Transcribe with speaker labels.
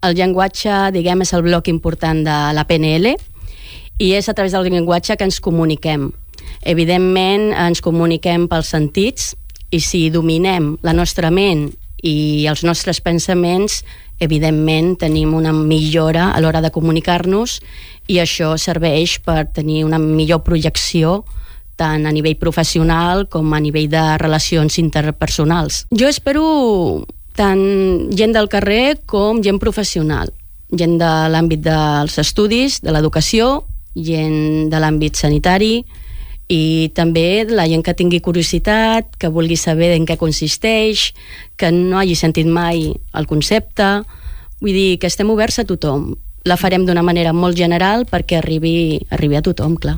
Speaker 1: El llenguatge, diguem, és el bloc important de la PNL i és a través del llenguatge que ens comuniquem. Evidentment, ens comuniquem pels sentits i si dominem la nostra ment i els nostres pensaments, evidentment tenim una millora a l'hora de comunicar-nos i això serveix per tenir una millor projecció tant a nivell professional com a nivell de relacions interpersonals. Jo espero tant gent del carrer com gent professional, gent de l'àmbit dels estudis, de l'educació, gent de l'àmbit sanitari i també la gent que tingui curiositat, que vulgui saber en què consisteix, que no hagi sentit mai el concepte. Vull dir que estem oberts a tothom. La farem d'una manera molt general perquè arribi a tothom, clar.